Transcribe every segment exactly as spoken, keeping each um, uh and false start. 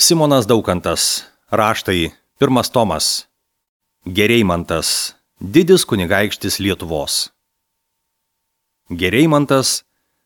Simonas Daukantas, raštai, pirmas tomas. Gereimantas, didis kunigaikštis Lietuvos. Gereimantas,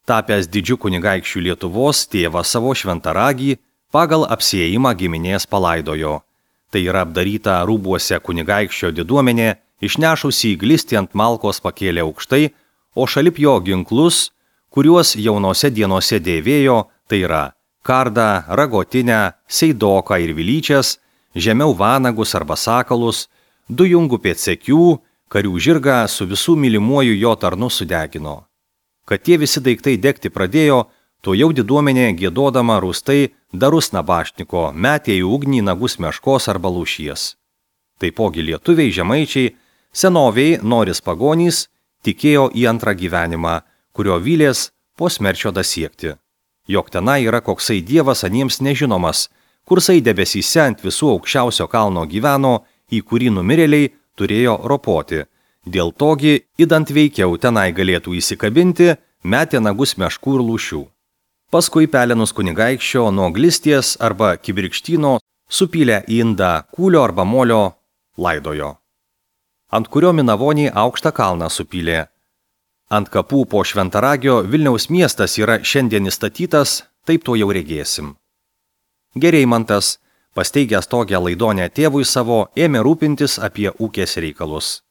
tapęs didžiu kunigaikščiu Lietuvos, tėvą savo šventaragį pagal apsiėjimą giminės palaidojo. Tai yra apdaryta rūbuose kunigaikščio diduomenė, išnešusi įglistį ant malkos pakėlė aukštai, o šalip jo ginklus, kuriuos jaunose dienose dėvėjo, tai yra kardą, ragotinę, seidoką ir vilyčias, žemiau vanagus arba sakalus, du jungų pėdsekių, karių žirgą su visų mylimuoju jo tarnu sudegino. Kad tie visi daiktai degti pradėjo, to jau diduomenė giedodama rūstai darus nabašniko metė į ugnį nagus meškos arba lūšies. Taipogi lietuviai, žemaičiai, senoviai, noris pagonys, tikėjo į antrą gyvenimą, kurio vylės po smerčio dasiekti. Jog tenai yra koksai dievas aniems nežinomas, kursai debesyse ant visų aukščiausio kalno gyveno, į kurį numirėliai turėjo ropoti. Dėl togi, idant veikiau tenai galėtų įsikabinti, metė nagus meškų ir lūšių. Paskui pelenus kunigaikščio nuo glisties arba kibirkštyno supylė į indą kūlio arba molio laidojo, ant kurio minavoniai aukštą kalną supylė. Ant kapų po Šventaragio Vilniaus miestas yra šiandien įstatytas, taip to jau regėsim. Gereimantas, pasteigęs tokią laidonę tėvui savo, ėmė rūpintis apie ūkės reikalus.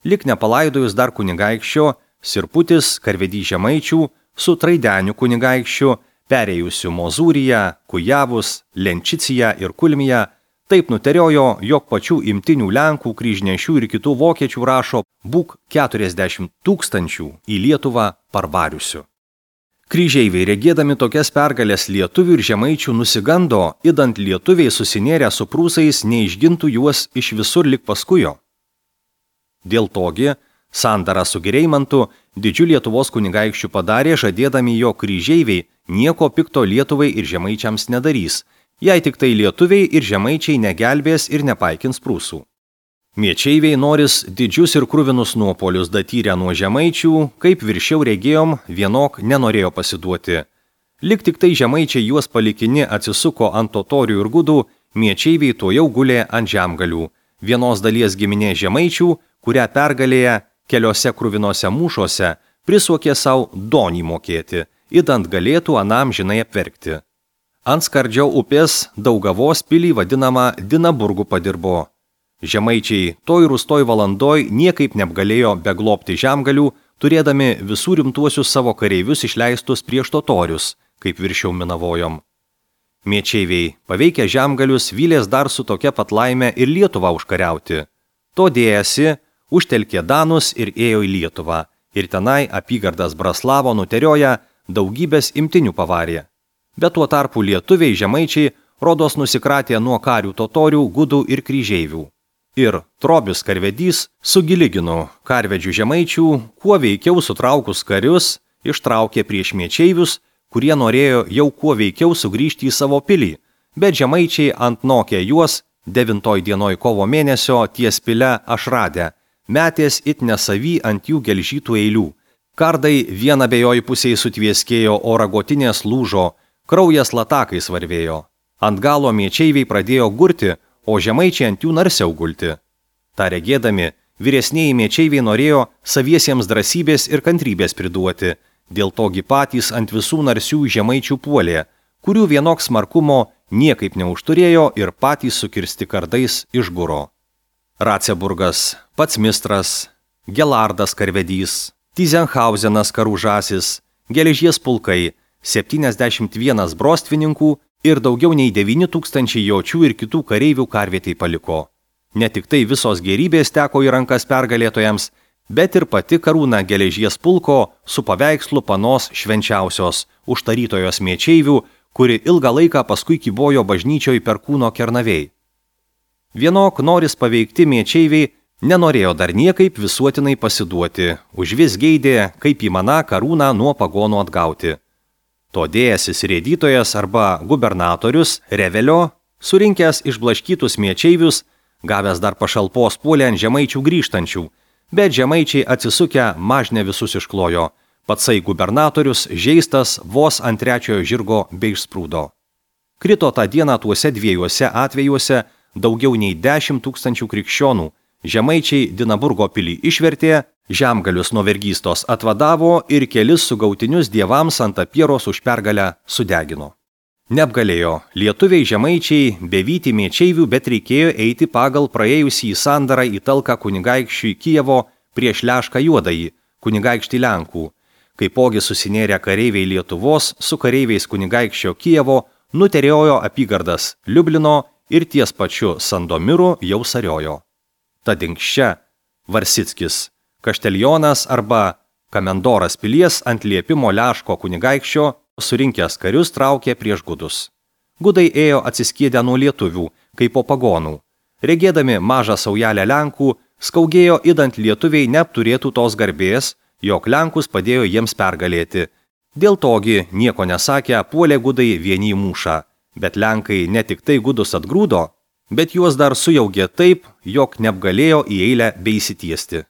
Lik nepalaidojus dar kunigaikščio, Sirputis, karvedys žemaičių, su Traideniu kunigaikščiu, perėjusiu Mozūriją, Kujavus, Lenčiciją ir Kulmiją, taip nuteriojo, jog pačių imtinių Lenkų, kryžnešių ir kitų vokiečių rašo būk keturiasdešimt tūkstančių į Lietuvą parvariusių. Kryžeiviai, regėdami tokias pergalės lietuvių ir žemaičių, nusigando, idant lietuviai susinėrę su prūsais neišgintų juos iš visur lik paskujo. Dėl togi, sandarą su Gereimantu didžiu Lietuvos kunigaikščiu padarė, žadėdami jo kryžeiviai nieko pikto Lietuvai ir žemaičiams nedarys, jei tik tai lietuviai ir žemaičiai negelbės ir nepaikins prūsų. Miečeiviai noris didžius ir kruvinus nuopolius datyrę nuo žemaičių, kaip viršiau regėjom, vienok nenorėjo pasiduoti. Lik tik tai žemaičiai juos palikini atsisuko ant totorių ir gudų, miečeiviai to jau gulė ant žemgalių, vienos dalies giminė žemaičių, kurią pergalėję keliose kruvinose mūšuose prisuokė savo donį mokėti, idant galėtų anam žinai apverkti. Ant Skardžio upės Daugavos pilį vadinamą Dinaburgu padirbo. Žemaičiai toj rūstoj valandoj niekaip neapgalėjo beglobti žemgalių, turėdami visų rimtuosius savo kareivius išleistus prieš totorius, kaip viršiau minavojom. Miečeiviai, paveikę žemgalius, vylės dar su tokia pat laime ir Lietuvą užkariauti. To dėjasi, užtelkė danus ir ėjo į Lietuvą, ir tenai apygardas Braslavo nuterioja daugybės imtinių pavarė. Bet tuo tarpu lietuviai žemaičiai rodos nusikratė nuo karių totorių, gudų ir kryžeivių. Ir Trobis karvedys su Giliginu, karvedžių žemaičių, kuo veikiau sutraukus karius, ištraukė prieš miečeivius, kurie norėjo jau kuo veikiau sugrįžti į savo pilį, bet žemaičiai antnokė juos devintoj dienoj kovo mėnesio ties pile Ašradę, metės it nesavy ant jų gelžytų eilių. Kardai vieną abejoj pusėj sutvieskėjo, o ragotinės lūžo, kraujas latakais varvėjo. Ant galo miečeiviai pradėjo gurti, o žemaičiai ant jų narsiau gulti. Ta regėdami, vyresnieji miečeiviai norėjo saviesiems drąsybės ir kantrybės priduoti, dėl togi patys ant visų narsių žemaičių puolė, kurių vienok smarkumo niekaip neužturėjo ir patys sukirsti kardais išguro. Raceburgas, pats Mistras, Gelardas karvedys, Tyzenhausenas karūžasis, geležies pulkai, septyniasdešimt vienas brostvininkų ir daugiau nei devyni tūkstančiai jočių ir kitų kareivių karvietei paliko. Ne tik tai visos gerybės teko į rankas pergalėtojams, bet ir pati karūna geležies pulko su paveikslu panos švenčiausios, užtarytojos miečeivių, kuri ilgą laiką paskui kybojo bažnyčioj Perkūno kernavėj. Vienok noris paveikti miečeiviai nenorėjo dar niekaip visuotinai pasiduoti, užvis geidė, kaip įmana karūną nuo pagonų atgauti. To dėjęsis rėdytojas arba gubernatorius Revelio, surinkęs išblaškytus miečeivius, gavęs dar pašalpos puolė ant žemaičių grįžtančių, bet žemaičiai atsisukę mažne visus išklojo, patsai gubernatorius žeistas vos ant trečiojo žirgo bei išsprūdo. Krito tą dieną tuose dviejuose atvejuose daugiau nei dešimt tūkstančių krikščionų. Žemaičiai Dinaburgo pilį išvertė, žemgalius nuo vergystos atvadavo ir kelis sugautinius dievams ant apieros už pergalę sudegino. Neapgalėjo lietuviai žemaičiai bevyti mėčeivių, bet reikėjo eiti pagal praėjusį sandarą į talką kunigaikščiui Kijevo prieš Lešką Juodąjį, kunigaikštį Lenkų. Kaipogi susinėrę kareiviai Lietuvos su kareiviais kunigaikščio Kijevo nuteriojo apygardas Liublino ir ties pačiu Sandomiru jau sariojo. Tad inkščia Varsickis, Kašteljonas arba Kamendoras pilies ant liepimo Leško kunigaikščio surinkęs karius traukė prieš gudus. Gudai ėjo atsiskėdę nuo lietuvių, kaip po pagonų. Regėdami mažą saujelę Lenkų, skaugėjo idant lietuviai neapturėtų tos garbės, jog Lenkus padėjo jiems pergalėti. Dėl togi, nieko nesakę, puolė gudai vieni į mūšą, bet Lenkai ne tik tai gudus atgrūdo, bet juos dar sujaugė taip, jog neapgalėjo į eilę beisitiesti.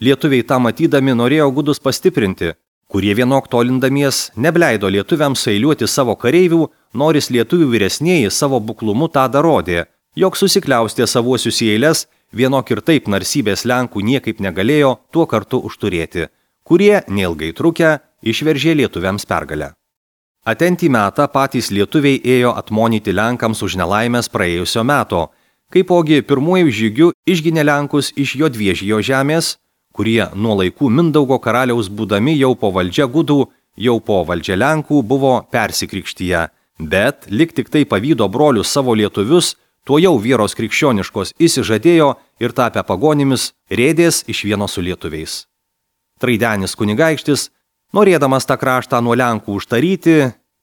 Lietuviai tą matydami norėjo gudus pastiprinti, kurie vienok tolindamies nebleido lietuviams eiliuoti savo kareivių, noris lietuvių vyresnieji savo buklumu tą darodė, jog susikliaustė savuosius į eiles, vienok ir taip narsybės Lenkų niekaip negalėjo tuo kartu užturėti, kurie, neilgai trukę, išveržė lietuviams pergalę. Atentį metą patys lietuviai ėjo atmonyti Lenkams už nelaimės praėjusio meto, kaipogi pirmuoju žygiu išginė Lenkus iš Jodviežijo žemės, kurie nuo laikų Mindaugo karaliaus būdami jau po valdžia gudų, jau po valdžia Lenkų buvo persikrikštyje, bet lik tik tai pavydo brolius savo lietuvius, tuo jau vieros krikščioniškos įsižadėjo ir tapę pagonimis rėdės iš vieno su lietuviais. Traidenis kunigaikštis, norėdamas tą kraštą nuo Lenkų užtaryti,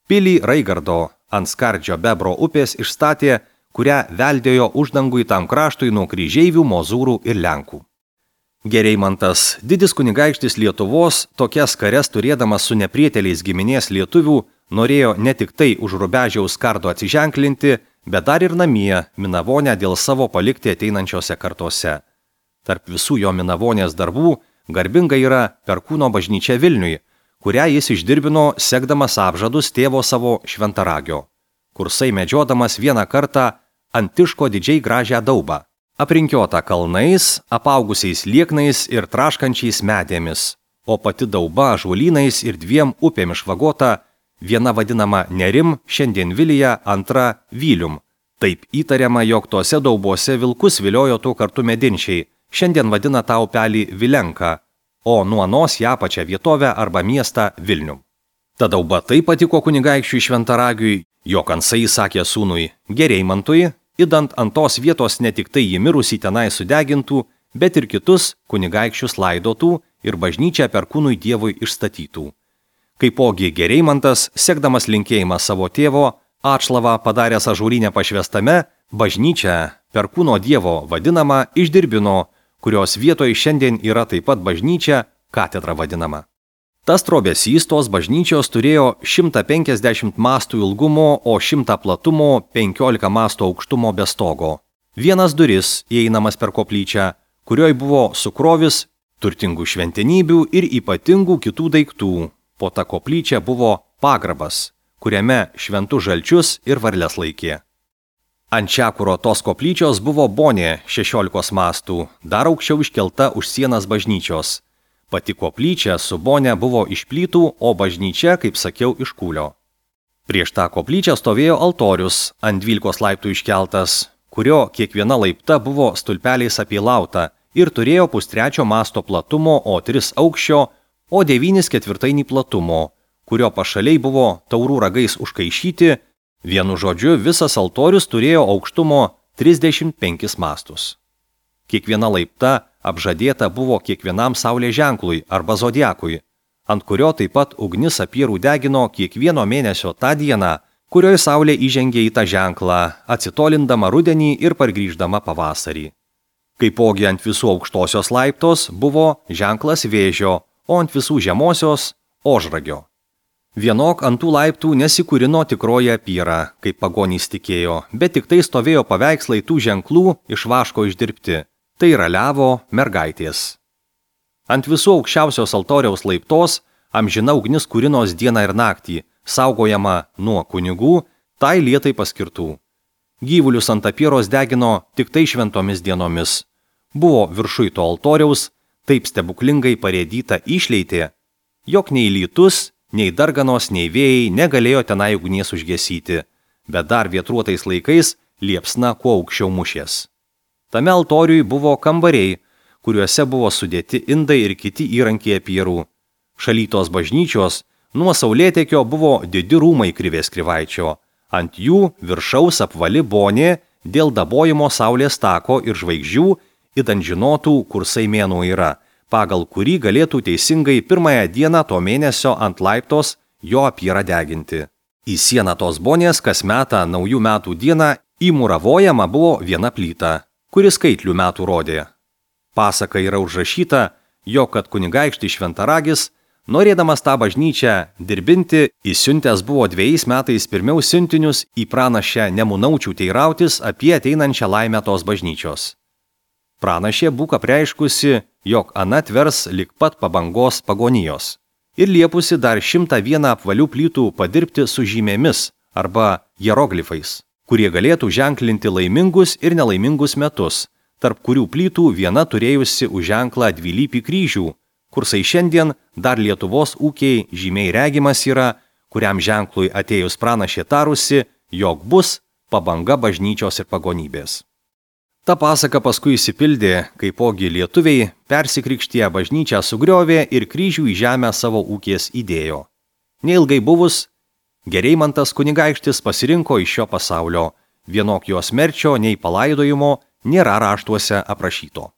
pilį Raigardo ant Skardžio Bebro upės išstatė, kurią veldėjo uždangui tam kraštui nuo kryžeivių, mozūrų ir Lenkų. Gereimantas, didis kunigaikštis Lietuvos, tokias kares turėdamas su neprieteliais giminės lietuvių, norėjo ne tik tai už Rubežiaus kardo atsiženklinti, bet dar ir namie Minavonę dėl savo palikti ateinančiose kartose. Tarp visų jo Minavonės darbų garbinga yra Perkūno bažnyčia Vilniui, kurią jis išdirbino sekdamas apžadus tėvo savo Šventaragio, kursai medžiodamas vieną kartą Antiško didžiai gražią daubą, aprinkiota kalnais, apaugusiais lieknais ir traškančiais medėmis, o pati dauba ąžuolynais ir dviem upėmis švagota, viena vadinama Nerim, šiandien Vilija, antra Vylium. Taip įtariama, jog tose daubose vilkus viliojo tuo kartu medinčiai, šiandien vadina tą upelį Vilenka, o nuo anos ją pačią vietovę arba miestą Vilnium. Ta dauba taip patiko kunigaikščiui Šventaragiui, jog Ansai sakė sūnui Gereimantui, idant ant tos vietos ne tik tai jį mirusį tenai sudegintų, bet ir kitus kunigaikščius laidotų ir bažnyčią Perkūnui dievui išstatytų. Kaipogi Gereimantas, sekdamas linkėjimą savo tėvo, atšlavą padaręs ažūrinę pašvestame, bažnyčią Perkūno dievo vadinamą išdirbino, kurios vietoje šiandien yra taip pat bažnyčia, katedra vadinama. Tas trobesys tos bažnyčios turėjo šimtą penkiasdešimt mastų ilgumo, o šimtą platumo, penkiolika mastų aukštumo be stogo. Vienas duris įeinamas per koplyčią, kurioj buvo sukrovis turtingų šventenybių ir ypatingų kitų daiktų. Po ta koplyčia buvo pagrabas, kuriame šventus žalčius ir varles laikė. Ant čiakuro tos koplyčios buvo bonė šešiolikos mastų, dar aukščiau iškelta už sienas bažnyčios. Pati koplyčia su bonė buvo iš plytų, o bažnyčia, kaip sakiau, iš kūlio. Prieš tą koplyčią stovėjo altorius, ant dvylikos laiptų iškeltas, kurio kiekviena laipta buvo stulpeliais apėlauta ir turėjo pustrečio masto platumo, o tris aukščio, o devynis ketvirtainį platumo, kurio pašaliai buvo taurų ragais užkaišyti, vienu žodžiu visas altorius turėjo aukštumo trisdešimt penkis mastus. Kiekviena laipta apžadėta buvo kiekvienam saulės ženklui arba zodiakui, ant kurio taip pat ugnis apierų degino kiekvieno mėnesio tą dieną, kurioje saulė įžengė į tą ženklą, atsitolindama rudenį ir pargrįždama pavasarį. Kaipogi ant visų aukštosios laiptos buvo ženklas vėžio, o ant visų žemosios ožragio. Vienok ant tų laiptų nesikūrino tikroji apyra, kaip pagonys tikėjo, bet tik tai stovėjo paveikslai tų ženklų iš vaško išdirbti. Tai yra levo mergaitės. Ant visų aukščiausios altoriaus laiptos amžina ugnis kūrinos dieną ir naktį, saugojama nuo kunigų, tai lietai paskirtų. Gyvulius ant apieros degino tik tai šventomis dienomis. Buvo viršui to altoriaus taip stebuklingai parėdyta išleitė, jog nei lytus, nei darganos, nei vėjai negalėjo tenai ugnies užgesyti, bet dar vietruotais laikais liepsna kuo aukščiau mušės. Tame altoriui buvo kambariai, kuriuose buvo sudėti indai ir kiti įrankiai apierų. Šalytos bažnyčios nuo saulėtekio buvo didi rūmai Krivės Krivaičio. Ant jų viršaus apvali bonė dėl dabojimo saulės tako ir žvaigždžių, idant žinotų, kursai mėnuo yra, pagal kurį galėtų teisingai pirmąją dieną to mėnesio ant laiptos jo apyrą deginti. Į sieną tos bonės kas metą naujų metų dieną įmuravojama buvo viena plyta, kuris skaitlių metų rodė. Pasaka yra užrašyta, jog kad kunigaikštis Šventaragis, norėdamas tą bažnyčią dirbinti, įsiuntęs buvo dviejais metais pirmiau siuntinius į pranašę Nemunaučių teirautis apie ateinančią laimę tos bažnyčios. Pranašė būk apreiškusi, jog ana tvers lik pat pabangos pagonijos ir liepusi dar šimtą vieną apvalių plytų padirbti su žymėmis arba hieroglifais, kurie galėtų ženklinti laimingus ir nelaimingus metus, tarp kurių plytų viena turėjusi už ženklą dvilypį kryžių, kursai šiandien dar Lietuvos ūkiai žymiai regimas yra, kuriam ženklui atėjus pranašė tarusi, jog bus pabanga bažnyčios ir pagonybės. Ta pasaka paskui įsipildė, kaipogi lietuviai persikrikštiję bažnyčią sugriovė ir kryžių į žemę savo ūkės įdėjo. Neilgai buvus, Gereimantas kunigaikštis pasirinko iš šio pasaulio, vienok jos merčio nei palaidojimo nėra raštuose aprašyto.